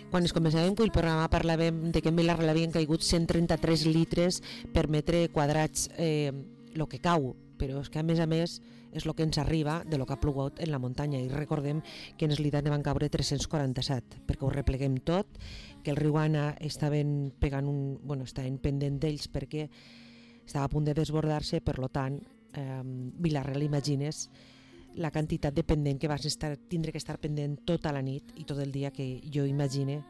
Quan es començàvem el programa parlàvem de que en Vila-real havien caigut 133 litres per metre quadrats el que cau, però és que a més és el que ens arriba de lo que ha plogut en la muntanya, i recordem que en Eslida ne van caure 347, perquè ho repleguem tot, que el riu Anna estaven pendent d'ells perquè estava a punt de desbordar-se, per tant Vila-real, imagines la quantitat de pendent que vas tindre que estar pendent tota la nit i tot el dia, que jo imagine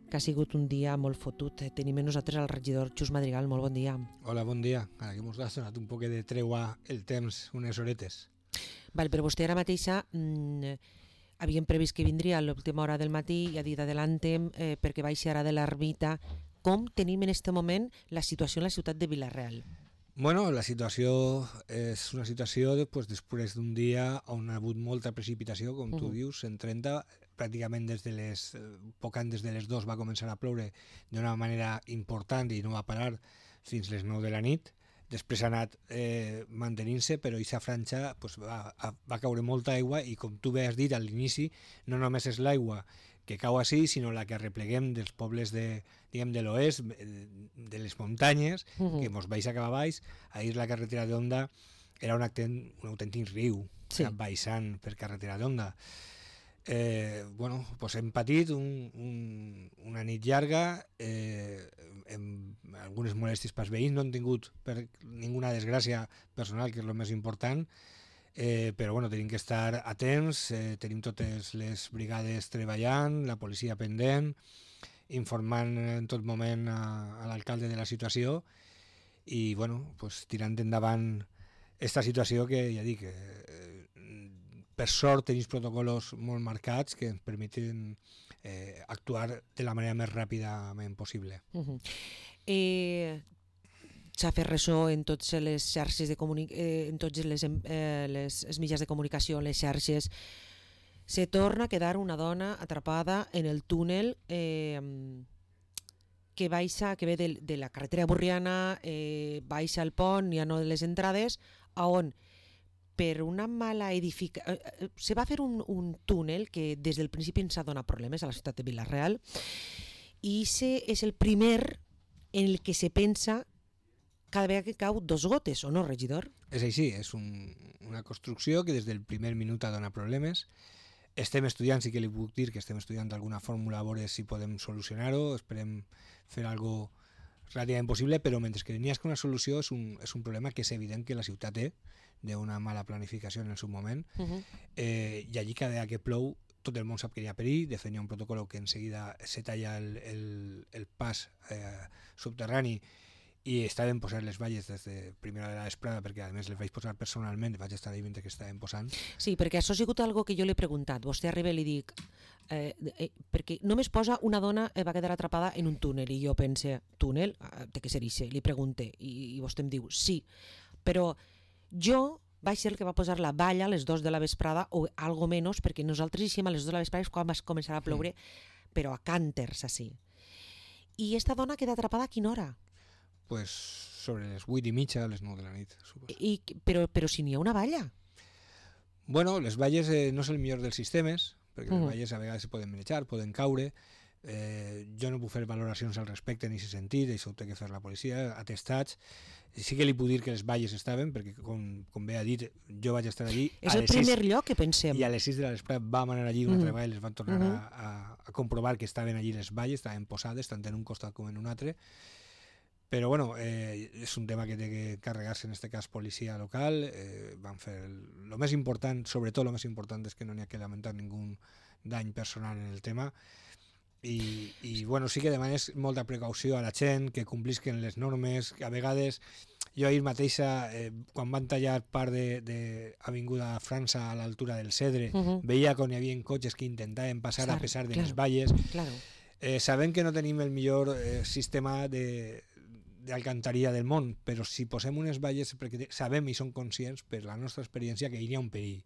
que ha sigut un dia molt fotut. Tenim amb nosaltres el regidor Xus Madrigal. Molt bon dia. Hola, bon dia. Ara que ens ha donat un poc de treua el temps, unes horetes. Val, però vostè ara mateixa havíem previst que vindria a l'última hora del matí i ha dit adelantem perquè baixarà de l'Ermita. Com tenim en aquest moment la situació en la ciutat de Vila-real? Bueno, la situació és una situació després d'un dia on ha hagut molta precipitació, com tu dius, 130, pràcticament poc antes de les 2 va començar a ploure d'una manera important i no va parar fins les 9 de la nit. Després ha anat mantenint-se, però aquesta franja va caure molta aigua i, com tu bé has dit a l'inici, no només és l'aigua que cau així, sinó la que repleguem dels pobles de l'oest, de les muntanyes, que mos baixa cap a baix. Ahir la carretera d'Onda era un autèntic riu, baixant per carretera d'Onda. Hem patit una nit llarga, amb algunes molèsties pels veïns, no hem tingut ninguna desgràcia personal, que és el més important, però tenim que estar atents, tenim totes les brigades treballant, la policia pendent, informant en tot moment a l'alcalde de la situació i tirant endavant aquesta situació que ja dic, per sort tenim protocols molt marcats que ens permeten actuar de la manera més ràpidament possible. S'ha fet ressò en totes les xarxes en tots els mitjans de comunicació, les xarxes. Se torna a quedar una dona atrapada en el túnel que ve de la carretera Borriana, baixa al pont, ja no de les entrades, on per una mala edificació se va fer un túnel que des del principi ens ha donat problemes a la ciutat de Vila-real, i és el primer en el que se pensa cada vegada que cau 2 gotes, o no, regidor? És així, és una construcció que des del primer minut ha donat problemes. Estem estudiant, sí que li puc dir que estem estudiant alguna fórmula a veure si podem solucionar-ho, esperem fer alguna cosa relativament possible, però mentre que n'hi ha una solució és un problema que és evident que la ciutat té d'una mala planificació en el seu moment, i allí cada vegada que plou tot el món sap que hi ha perill. De fet hi ha un protocol que en seguida se talla el pas subterrani i estaven posant les valles des de primera hora de vesprada, perquè a més les vaig posar personalment, vaig estar ahí mentre que estaven posant. Sí, perquè això ha sigut algo que jo l'he preguntat. Vostè arriba i li dic, perquè només posa una dona va quedar atrapada en un túnel, i jo pense, túnel? Té que ser ixe. Li pregunte, i vostè em diu, sí, però jo vaig ser el que va posar la valla a les 2 de la vesprada o algo menys, perquè nosaltres hicim a les 2 de la vesprada quan va començar a ploure, però a cànters, així. I esta dona queda atrapada a quina hora? Pues sobre les 8:30 a les 9 de la nit, suposo. Però si n'hi ha una valla? Bueno, les valles no és el millor dels sistemes, perquè les valles a vegades se poden manejar, poden caure. Jo no puc fer valoracions al respecte en aquest sentit, això ho té que fer la policia, atestats. Sí que li puc dir que les valles estaven, perquè com bé ha dit, jo vaig estar allí. És el primer lloc que pensem. I a les 6 de la vesprada vam anar allí una altra vegada i les van tornar a comprovar que estaven allí les valles, estaven posades tant en un costat com en un altre. Però és un tema que té que carregar-se, en aquest cas, policia local. Van fer el més important, sobretot el més important és que no n'hi ha que lamentar ningú dany personal en el tema. I sí que demanes molta precaució a la gent, que complisquen les normes, que a vegades jo ahir mateixa, quan van tallar part d'Avinguda França a l'altura del Cedre, veia que hi havia cotxes que intentaven passar a pesar de les valles. Sabem que no tenim el millor sistema d'alcantaria del món, però si posem unes valles perquè sabem i som conscients per la nostra experiència que hi ha un perill.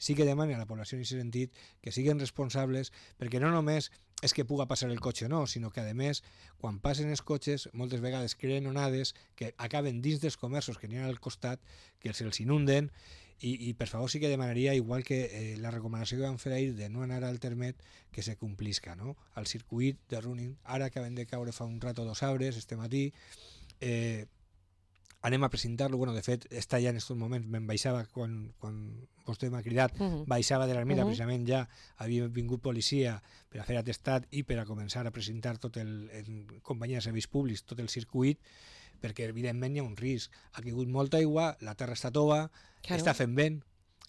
Sí que demanen a la població en aquest sentit que siguin responsables, perquè no només és que puga passar el cotxe o no, sinó que a més, quan passen els cotxes, moltes vegades creen onades que acaben dins dels comerços que n'hi ha al costat, que se'ls inunden, i per favor sí que demanaria, igual que la recomanació que vam fer ahir de no anar al termet, que se complisca, no? Al circuit de running, ara acabem de caure fa un rato 2 arbres, este matí, anem a presentar-lo, bueno, de fet està ja en aquests moments, me'n baixava quan vostè m'ha cridat, baixava de l'Ermita, precisament ja havia vingut policia per a fer atestat i per a començar a presentar tot en companyia de serveis públics, tot el circuit, perquè evidentment hi ha un risc. Ha caigut molta aigua, la terra està tova, està fent vent,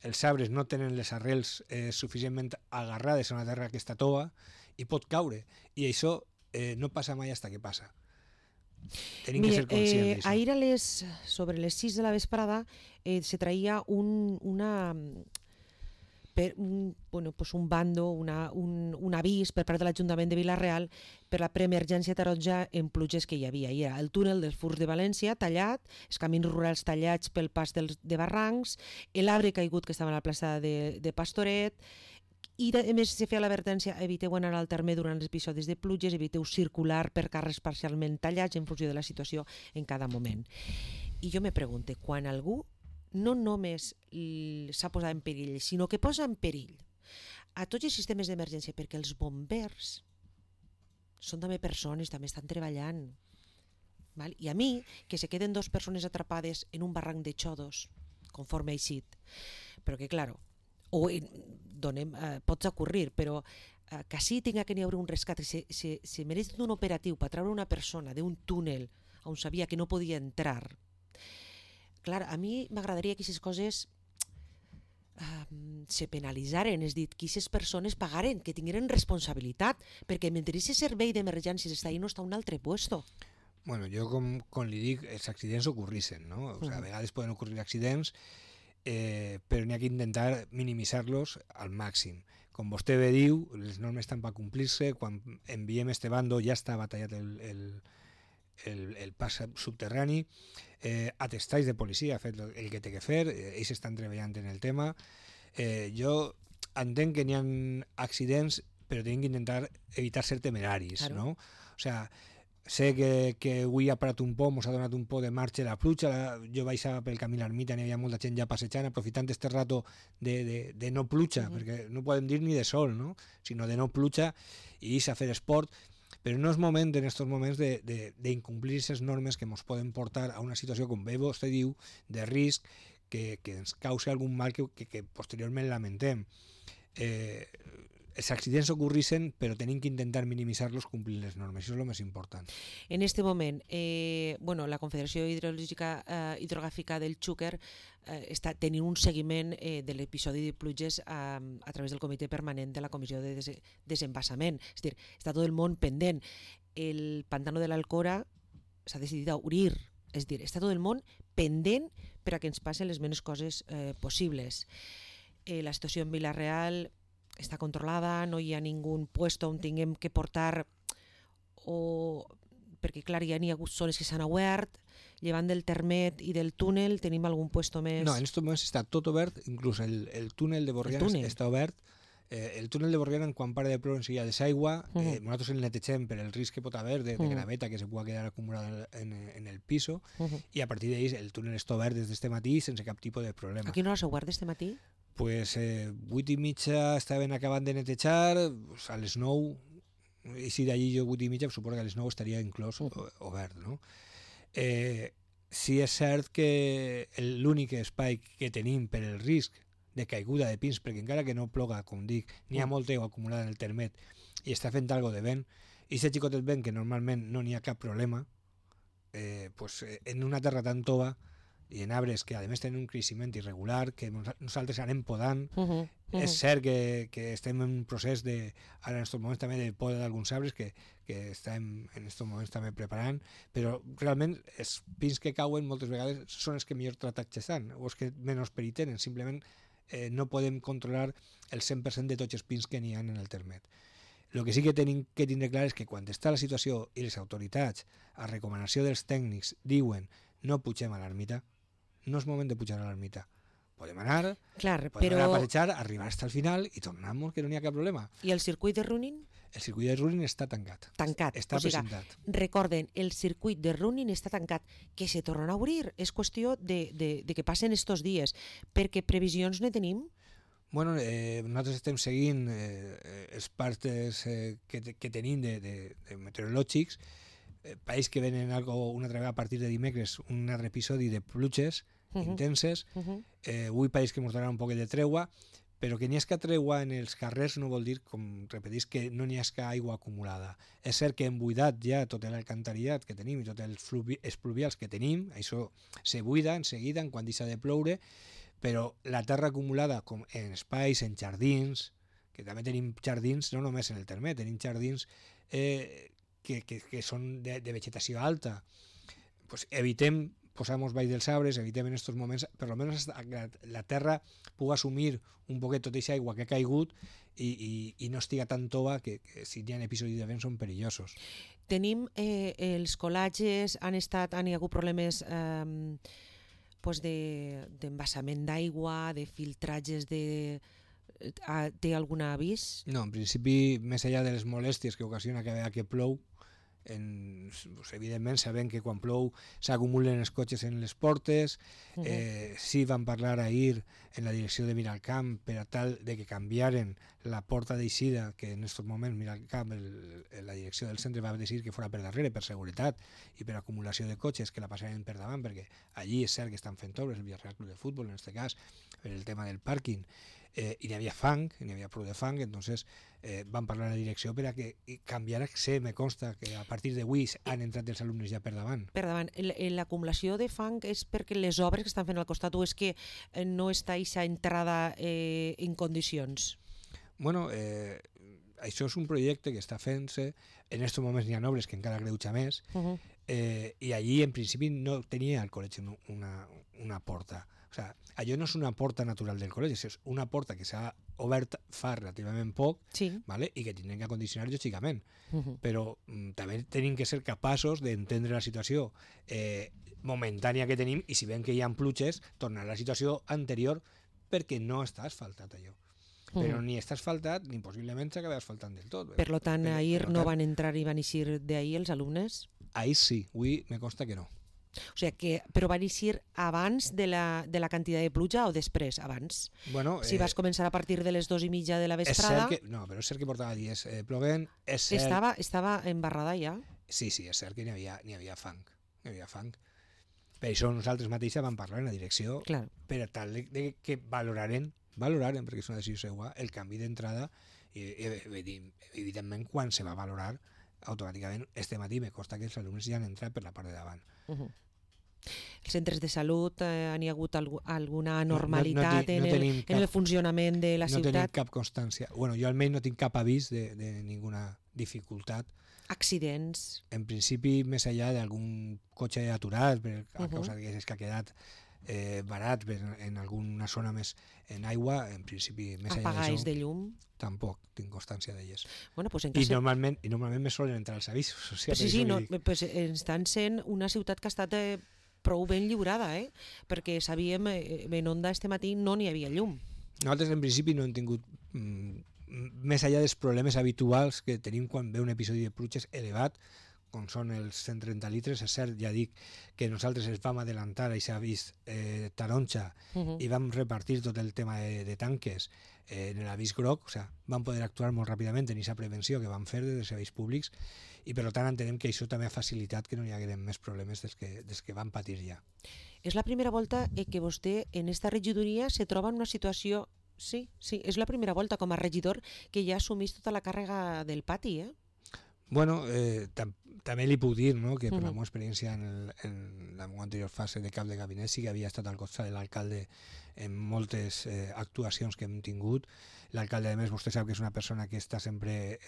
els arbres no tenen les arrels suficientment agarrades a una terra que està tova i pot caure. I això no passa mai fins que passa. Tenim que ser conscients d'això. Ahir sobre les 6 de la vesprada se traía un bando, un avís per part de l'Ajuntament de Vila-real per la preemergència taronja en pluges que hi havia. Hi era el túnel dels Furs de València tallat, els camins rurals tallats pel pas de barrancs, l'arbre caigut que estava a la plaça de Pastoret, i a més se feia l'advertència: eviteu anar al terme durant els episodis de pluges, eviteu circular per carrers parcialment tallats en funció de la situació en cada moment. I jo me pregunto, quan algú no només s'ha posat en perill, sinó que posa en perill a tots els sistemes d'emergència, perquè els bombers són també persones, també estan treballant. Val? I a mi, que se queden 2 persones atrapades en un barranc de xodos, conforme ha eixit, però que, claro, pots ocurrir, però que sí tinga que n'hi haver un rescat, se mereix un operatiu per treure una persona d'un túnel on sabia que no podia entrar. Clar, a mi m'agradaria que aquestes coses se penalitzaren, és dir, que aquestes persones pagaren, que tingueren responsabilitat, perquè mentre aquest servei d'emergències està ahí, no està a un altre puesto. Bueno, jo com li dic, els accidents ocorreixen, no? O sea, a vegades poden ocorrir accidents, però n'hi ha que intentar minimitzar-los al màxim. Com vostè bé diu, les normes estan per complir-se. Quan enviem este bando ja està batallat el pas subterrani, atestats de policia ha fet el que té que fer, ells estan treballant en el tema. Jo entenc que n'hi ha accidents, però tenim que intentar evitar ser temeraris, claro. No? O sea, sé que avui ha parat un poc, ens ha donat un poc de marxa la pluja, jo baixava pel camí a l'ermita, n'hi havia molta gent ja passejant, aprofitant este rato de no pluja, perquè no podem dir ni de sol, no? Sinó de no pluja, i a fer esport, però no és moment en aquests moments d'incomplir aquestes normes que ens poden portar a una situació, com bé vostè diu, de risc, que ens causi algun mal que posteriorment lamentem. Els accidents ocorreixen, però tenim que intentar minimitzar-los complint les normes, això és el més important. En aquest moment, la Confederació Hidrogràfica del Xúquer està tenint un seguiment de l'episodi de pluges a través del comitè permanent de la Comissió de Desembassament. És a dir, està tot el món pendent. El pantano de l'Alcora s'ha decidit a obrir, és a dir, està tot el món pendent per a que ens passen les menys coses possibles. La situació en Vila-real està controlada, no hi ha ningú puesto on tinguem que portar, perquè clar, ja n'hi ha hagut zones que s'han obert, llevant del termet i del túnel, tenim algun puesto més? No, en aquests moments està tot obert, inclús el túnel de Borriana està obert. El túnel de Borriana, quan para de ploure enseguida desaigua, nosaltres el netegem per el risc que pot haver de graveta que se pugui quedar acumulada en el piso, i a partir d'ahí el túnel està obert des d'este matí sense cap tipus de problema. A quina hora s'ha obert d'este matí? Pues 8:30 estaven acabant de netejar, a les 9, i si d'allí jo 8:30, suposo que a les 9 estaria inclòs obert, no? Sí és cert que l'únic espai que tenim per el risc de caiguda de pins, perquè encara que no ploga, com dic, n'hi ha molta aigua acumulada en el termet i està fent algo de vent, i aquest xicotet vent que normalment no n'hi ha cap problema, en una terra tan tova i en arbres que a més tenen un creixement irregular, que nosaltres anem podant. És cert que estem en un procés ara en aquests moments també de poda d'alguns arbres que estem en aquests moments també preparant, però realment els pins que cauen moltes vegades són els que millor tractats estan, o els que menys perill tenen. Simplement no podem controlar el 100% de tots els pins que n'hi ha en el termet. El que sí que tenim que tindre clar és que quan està la situació i les autoritats, a recomanació dels tècnics, diuen no pugem a l'ermita, no és moment de pujar a l'ermita. Podem anar, podem anar a passejar, arribar fins al final i tornar-nos, que no n'hi ha cap problema. I el circuit de running? El circuit de running està tancat. Està presentat. Recorden, el circuit de running està tancat, que se tornarà a obrir. És qüestió de que passen estos dies, perquè previsions ne tenim? Bueno, nosaltres estem seguint els partes que tenim de meteorològics. Pareix que venen una altra vegada a partir de dimecres un altre episodi de pluges intenses. Avui pareix que ens donarà un poc de treua, però que n'hi hagi treua en els carrers no vol dir, com repetís, que no n'hi hagi aigua acumulada. És cert que hem buidat ja tot l'alcantarillat que tenim i tots els pluvials que tenim, això se buida en seguida, en quan deixa de ploure, però la terra acumulada com en espais, en jardins, que també tenim jardins, no només en el terme, tenim jardins que són de vegetació alta, pues evitem posar-nos baix dels arbres, evitem en aquests moments, per almenys la terra pugui assumir un poquet tota aquesta aigua que ha caigut i no estiga tan tova que si hi ha episodis de vent són perillosos. Tenim els colatges, han hi hagut problemes d'embassament d'aigua, de filtratges té algun avís? No, en principi, més enllà de les molèsties que ocasiona que plou, evidentment sabem que quan plou s'acumulen els cotxes en les portes. Sí van parlar ahir en la direcció de Miralcamp per a tal de que canviaren la porta d'eixida, que en aquests moments Miralcamp, la direcció del centre va decidir que fora per darrere per seguretat i per acumulació de cotxes, que la passaren per davant, perquè allí és cert que estan fent obres, el Villarreal Club de Futbol en aquest cas, per el tema del pàrquing, i n'hi havia fang, n'hi havia prou de fang, entonces van parlar a la direcció per a que canviara. Me consta que a partir d'avui han entrat els alumnes ja per davant. Per davant. L'acumulació de fang és perquè les obres que estan fent al costat o és que no està aquesta entrada en condicions? Bueno, això és un projecte que està fent-se, en aquests moments n'hi ha obres que encara greuja més, i allí en principi no tenia el col·legi una porta. O sigui, allò no és una porta natural del col·legi, és una porta que s'ha obert fa relativament poc, ¿vale? I que tindrem que acondicionar lògicament. Però també tenim que ser capaços d'entendre la situació momentània que tenim i si veiem que hi ha pluges, tornar a la situació anterior perquè no està asfaltat allò. Però ni està asfaltat ni possiblement s'acaba asfaltant del tot. Per tant, ahir no van entrar i van eixir d'ahir els alumnes? Ahir sí, avui me consta que no. O sigui, però van eixir abans de la quantitat de pluja o després? Abans? Bueno, si vas començar a partir de les 2:30 de la vesprada... No, però és cert que portava dies plovent. Estava embarrada ja? Sí, és cert que n'hi havia fang. Per això nosaltres mateixos vam parlar en la direcció per a tal de que valoraren, perquè és una decisió seva, el canvi d'entrada i evidentment quan se va valorar automàticament este matí me consta que els alumnes ja han entrat per la part de davant. Els centres de salut han hi hagut alguna anormalitat en el funcionament de la ciutat? No tenim cap constància. Bueno, jo almenys no tinc cap avís de ninguna dificultat. Accidents? En principi, més enllà d'algun cotxe aturat a causa que ha quedat barat en alguna zona més en aigua, en principi més enllà d'això... de llum? Tampoc tinc constància d'elles. Bueno, pues I normalment me solen entrar els avisos. Pues estan sent una ciutat que ha estat prou ben lliurada, perquè sabíem, en Onda este matí no n'hi havia llum. Nosaltres en principi no hem tingut, més enllà dels problemes habituals que tenim quan ve un episodi de pluges elevat, com són els 130 litres, és cert, ja dic que nosaltres ens vam adelantar i s'ha vist taronja i vam repartir tot el tema de tanques en l'avís groc, o sigui, vam poder actuar molt ràpidament en aquesta prevenció que vam fer des dels serveis públics i per tant entenem que això també ha facilitat que no hi hagueren més problemes dels que van patir ja. És la primera volta que vostè en esta regidoria se troba en una situació, sí, és la primera volta com a regidor que ja assumís tota la càrrega del pati, Bueno, també li puc dir que per la meva experiència en la meva anterior fase de cap de gabinet sí que havia estat al costat de l'alcalde en moltes actuacions que hem tingut. L'alcalde, a més, vostè sap que és una persona que està sempre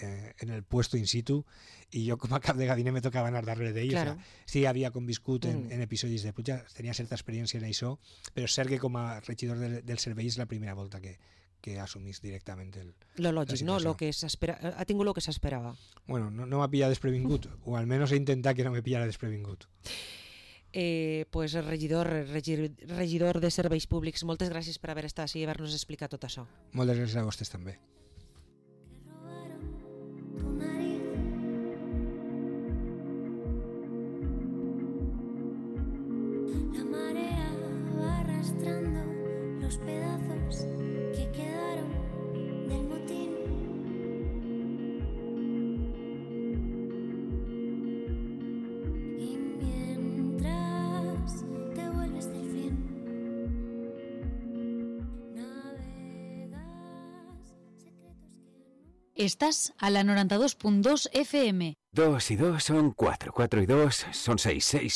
en el puesto in situ i jo com a cap de gabinet me tocava anar darrere d'ell. Claro. O sea, sí, havia conviscut en episodis de pluja, tenia certa experiència en això, però és cert que com a regidor del servei és la primera volta que que assumís directament lo lògic, no? situació. Lo que ha tingut el que s'esperava. Bueno, no m'ha pillat desprevingut, o almenys he intentat que no me pillara desprevingut. Pues regidor de Serveis Públics, moltes gràcies per haver estat així i haver-nos explicat tot això. Moltes gràcies a vostès també. La marea va arrastrando los pedazos que quedaron del motín. Y mientras te vuelves del fin, navegas secretos que no... Estás a la 92.2 FM. 2 y 2 son 4, 4 y 2 son 6, 6